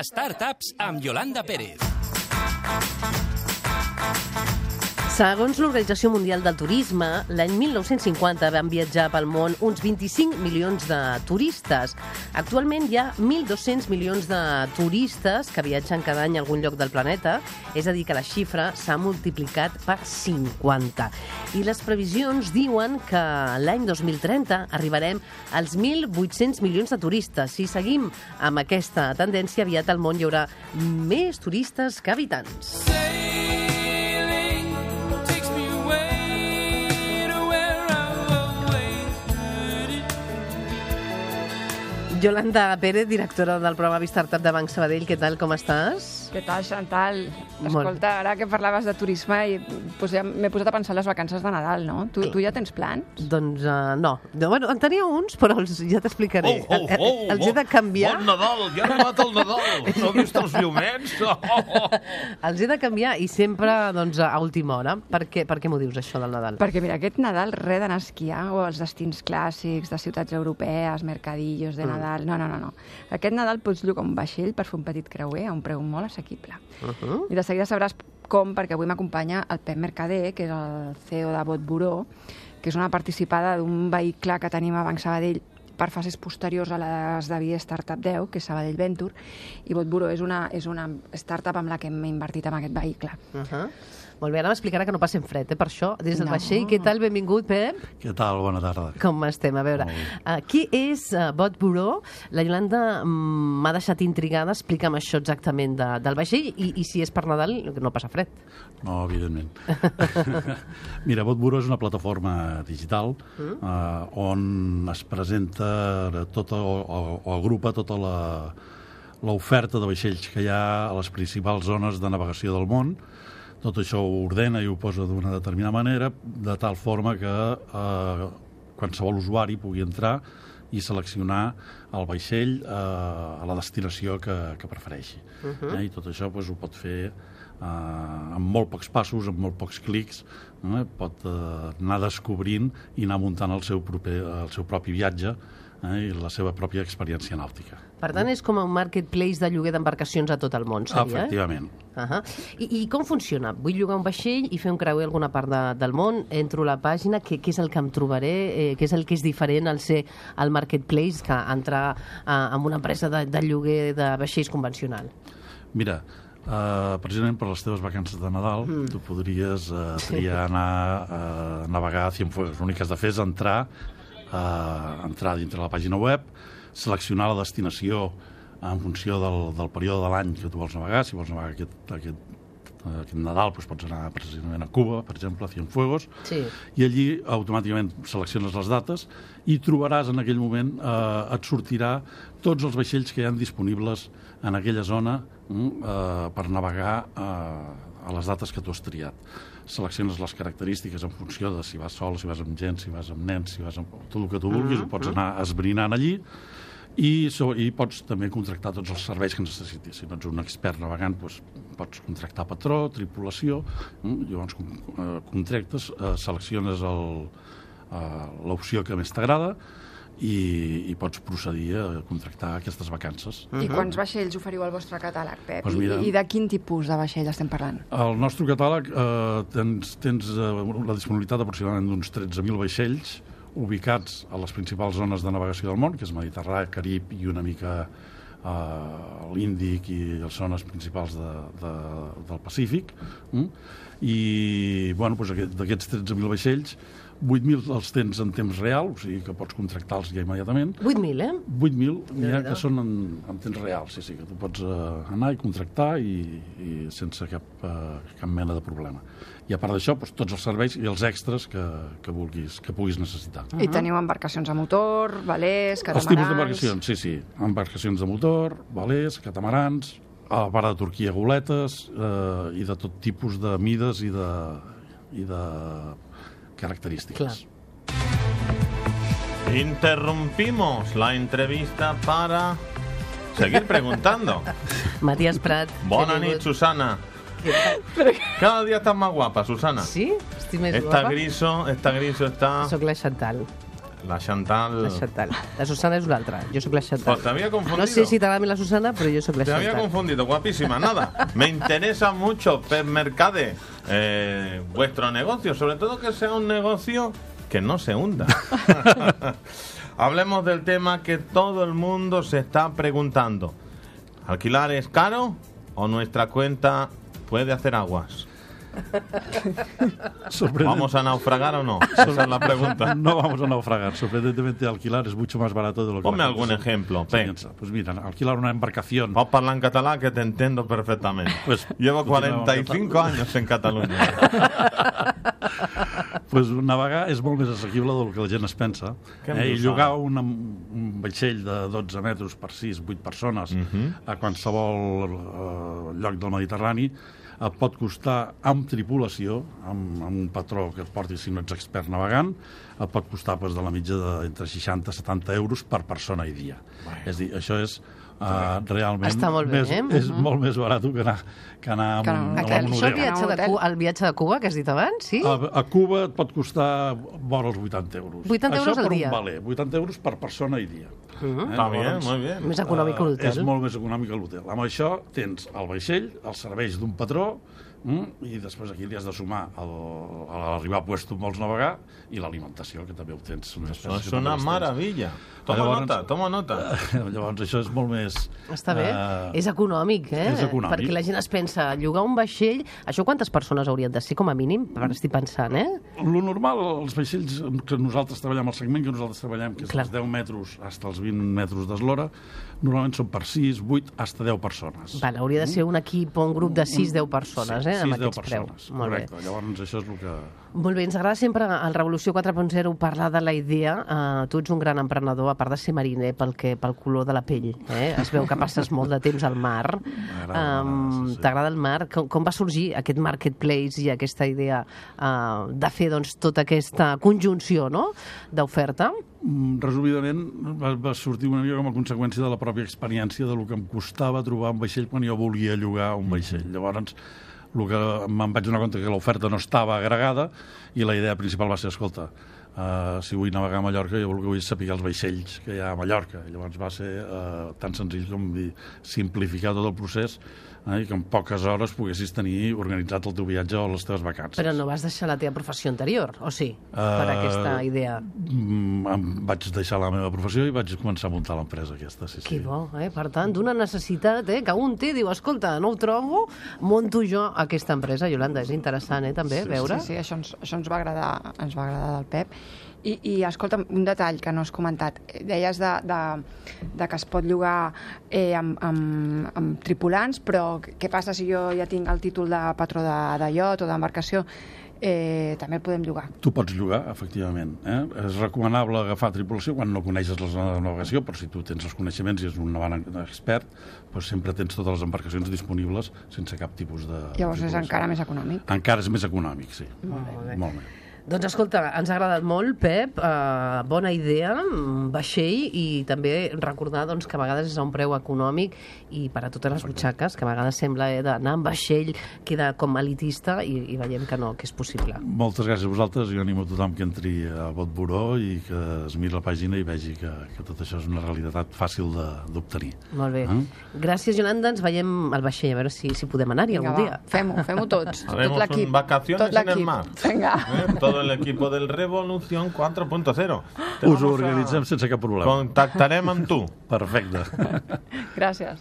Startups amb Yolanda Pérez. Segons l'Organització Mundial del Turisme, l'any 1950 van viatjar pel món uns 25 milions de turistes. Actualment hi ha 1.200 milions de turistes que viatgen cada any a algun lloc del planeta, és a dir, que la xifra s'ha multiplicat per 50. I les previsions diuen que l'any 2030 arribarem als 1.800 milions de turistes. Si seguim amb aquesta tendència, aviat al món hi haurà més turistes que habitants. Yolanda Pérez, directora del programa Startup de Banc Sabadell. Què tal, com estàs? Què tal, Chantal? Escolta, ara que parlaves de turisme, doncs ja m'he posat a pensar en les vacances de Nadal, no? Tu ja tens plans? Doncs no. Bueno, en tenia uns, però ja t'explicaré. Els he de canviar. Bon Nadal! Ja ha arribat el Nadal! No has vist els llumets? Els he de canviar i sempre doncs, a última hora. Per què m'ho dius, això del Nadal? Perquè, mira, aquest Nadal, res d'anar a esquiar o als destins clàssics de ciutats europees, mercadillos de Nadal. No. Aquest Nadal pots llogar un vaixell per fer un petit creuer a un preu molt assequible. I de seguida sabràs com, perquè avui m'acompanya el Pep Mercader, que és el CEO de Bot Buró, que és una participada d'un vehicle que tenim a Banc Sabadell per fases posteriors a les de Via Startup 10, que és Sabadell Venture, i Bot Buró és una startup amb la que hem invertit en aquest vehicle. Molt bé, ara m'explicarà que no passem fred, per això, des del vaixell. Què tal? Benvingut, Pep. Què tal? Bona tarda. Com estem? A veure, qui és Bot Buró? La Yolanda m'ha deixat intrigada. Explica'm això exactament del vaixell i si és per Nadal, no passa fred. No, evidentment. Mira, Bot Buró és una plataforma digital on es presenta o agrupa tota l'oferta de vaixells que hi ha a les principals zones de navegació del món. Tot això ho ordena i ho posa d'una determinada manera, de tal forma que qualsevol usuari pugui entrar i seleccionar el vaixell a la destinació que prefereixi. I tot això ho pot fer amb molt pocs passos, amb molt pocs clics, pot anar descobrint i anar muntant el seu propi viatge i la seva pròpia experiència nàutica. Per tant, és com un marketplace de lloguer d'embarcacions a tot el món, seria? Efectivament. I com funciona? Vull llogar un vaixell i fer un creuer a alguna part del món, entro a la pàgina, què és el que em trobaré? Què és el que és diferent al ser el marketplace que entrar en una empresa de lloguer de vaixells convencional? Mira, precisament per les teves vacances de Nadal tu podries triar anar a navegar a Cienfuegos. L'únic que has de fer és entrar dintre la pàgina web, seleccionar la destinació en funció del període de l'any que tu vols navegar. Si vols navegar aquest Nadal, pots anar precisament a Cuba, per exemple, a Cienfuegos, i allí automàticament selecciones les dates i trobaràs en aquell moment, et sortirà tots els vaixells que hi ha disponibles en aquella zona per navegar a les dates que tu has triat. Selecciones les característiques en funció de si vas sol, si vas amb gent, si vas amb nens, si vas amb tot el que tu vulguis, ho pots anar esbrinant allí i pots també contractar tots els serveis que necessitis. Si no ets un expert navegant, pots contractar patró, tripulació, llavors contractes, selecciones l'opció que més t'agrada i pots procedir a contractar aquestes vacances. I quants vaixells oferiu al vostre catàleg, Pep? Doncs mira, I de quin tipus de vaixell estem parlant? Al nostre catàleg tens la disponibilitat aproximadament d'uns 13.000 vaixells ubicats a les principals zones de navegació del món, que és Mediterrani, Carib i una mica l'Índic i les zones principals del Pacífic. I d'aquests 13.000 vaixells, 8.000 els tens en temps real, o sigui que pots contractar-los ja immediatament. 8.000, 8.000 n'hi ha que són en temps real, sí, que tu pots anar i contractar i sense cap mena de problema. I a part d'això, tots els serveis i els extras que puguis necessitar. I teniu embarcacions a motor, velers, catamarans... Els tipus d'embarcacions, sí. Embarcacions de motor, velers, catamarans, a la part de Turquia, goletes, i de tot tipus de mides i de características. Interrumpimos la entrevista para seguir preguntando. Matías Prat. Bona nit, Susana. Cada día estás más guapa, Susana. Sí? Estic més guapa? Está griso, está... Soc la Chantal. La Chantal. La Chantal. La Susana és una altra. Jo sóc la Chantal. Pues te había confundido. No sé si t'agrada la Susana, però jo sóc la Te Chantal. había confundido, guapísima. Nada, me interesa mucho, Pep Mercade, vuestro negocio, sobre todo que sea un negocio que no se hunda. Hablemos del tema que todo el mundo se está preguntando. ¿Alquilar es caro o nuestra cuenta puede hacer aguas? ¿Vamos a naufragar o no? Esa es la pregunta. No vamos a naufragar. Sorprendentemente, alquilar es mucho más barato de lo que... Ponme algún ejemplo, Pep. Pues mira, alquilar una embarcación... Vamos a hablar en catalán que te entiendo perfectamente. Pues, llevo 45 años en Catalunya. Pues navegar és molt més assequible del que la gent es pensa. I llogar un vaixell de 12 metres per 6-8 persones a qualsevol lloc del Mediterrani et pot costar, amb tripulació, amb un patró que et porti si no ets expert navegant, et pot costar de la mitja d'entre 60 i 70 euros per persona i dia. És a dir, això és realment... Està molt bé, és molt més barat que anar a un Això hotel. el viatge de Cuba, que has dit abans, sí? A Cuba et pot costar vora els 80 euros. 80 euros al dia? Això per un valer, 80 euros per persona i dia. Està bé, molt bé. Més econòmic que l'hotel. És molt més econòmic que l'hotel. Amb això tens el vaixell, els serveis d'un patró, i després aquí li has de sumar a l'arribar a puesto on vols navegar i l'alimentació, que també ho tens. Això és una meravella. Toma nota. Llavors això és molt més... Està bé. És econòmic, És econòmic. Perquè la gent es pensa, llogar un vaixell... Això quantes persones haurien de ser, com a mínim? Estic pensant, Lo normal, els vaixells que nosaltres treballem, el segment que nosaltres treballem, que és els 10 metres fins als 20 metres d'eslora, normalment són per 6, 8, fins a 10 persones. Hauria de ser un equip o un grup de 6-10 persones, amb aquests preus. Correcte, llavors això és el que... Molt bé, ens agrada sempre al Revolució 4.0 parlar de la idea. Tu ets un gran emprenedor, a part de ser mariner, pel color de la pell. Es veu que passes molt de temps al mar. T'agrada el mar? Com va sorgir aquest marketplace i aquesta idea de fer tota aquesta conjunció d'oferta? Resumidament, va sortir una mica com a conseqüència de la pròpia experiència del que em costava trobar un vaixell quan jo volia llogar un vaixell. Llavors, el que me'n vaig donar compte que l'oferta no estava agregada i la idea principal va ser, escolta, si vull navegar a Mallorca, jo el que vull és saber els vaixells que hi ha a Mallorca. I llavors va ser tan senzill com simplificar tot el procés i que en poques hores poguessis tenir organitzat el teu viatge o les teves vacances. Però no vas deixar la teva professió anterior, o sí? Per aquesta idea. Vaig deixar la meva professió i vaig començar a muntar l'empresa aquesta. Sí, que bo, Per tant, d'una necessitat que un té, diu, escolta, no ho trobo, monto jo aquesta empresa. Yolanda, és interessant, també, veure? Sí, això ens va agradar del Pep. I escolta, un detall que no has comentat. Deies de que es pot llogar amb tripulants, però què passa si jo ja tinc el títol de patró de iot o d'embarcació? També el podem llogar. Tu pots llogar, efectivament. És recomanable agafar tripulació quan no coneixes la zona de navegació, però si tu tens els coneixements i ets un navegant expert, doncs sempre tens totes les embarcacions disponibles sense cap tipus de... Llavors és encara més econòmic? Encara és més econòmic, sí. Molt bé. Molt bé. Doncs escolta, ens ha agradat molt, Pep, bona idea, vaixell, i també recordar que a vegades és a un preu econòmic i per a totes les butxaques, que a vegades sembla d'anar amb vaixell, queda com elitista i veiem que no, que és possible. Moltes gràcies a vosaltres, jo animo a tothom que entri a Botburó i que es miri la pàgina i vegi que tot això és una realitat fàcil d'obtenir. Molt bé. Gràcies, Yolanda, ens veiem al vaixell, a veure si podem anar-hi algun dia. Fem-ho tots, tot l'equip. Vacaciones en el mar. Vinga. Todo el equipo del Revolución 4.0. Us ho organitzem sense cap problema. Contactarem amb tu. Perfecte. Gràcies.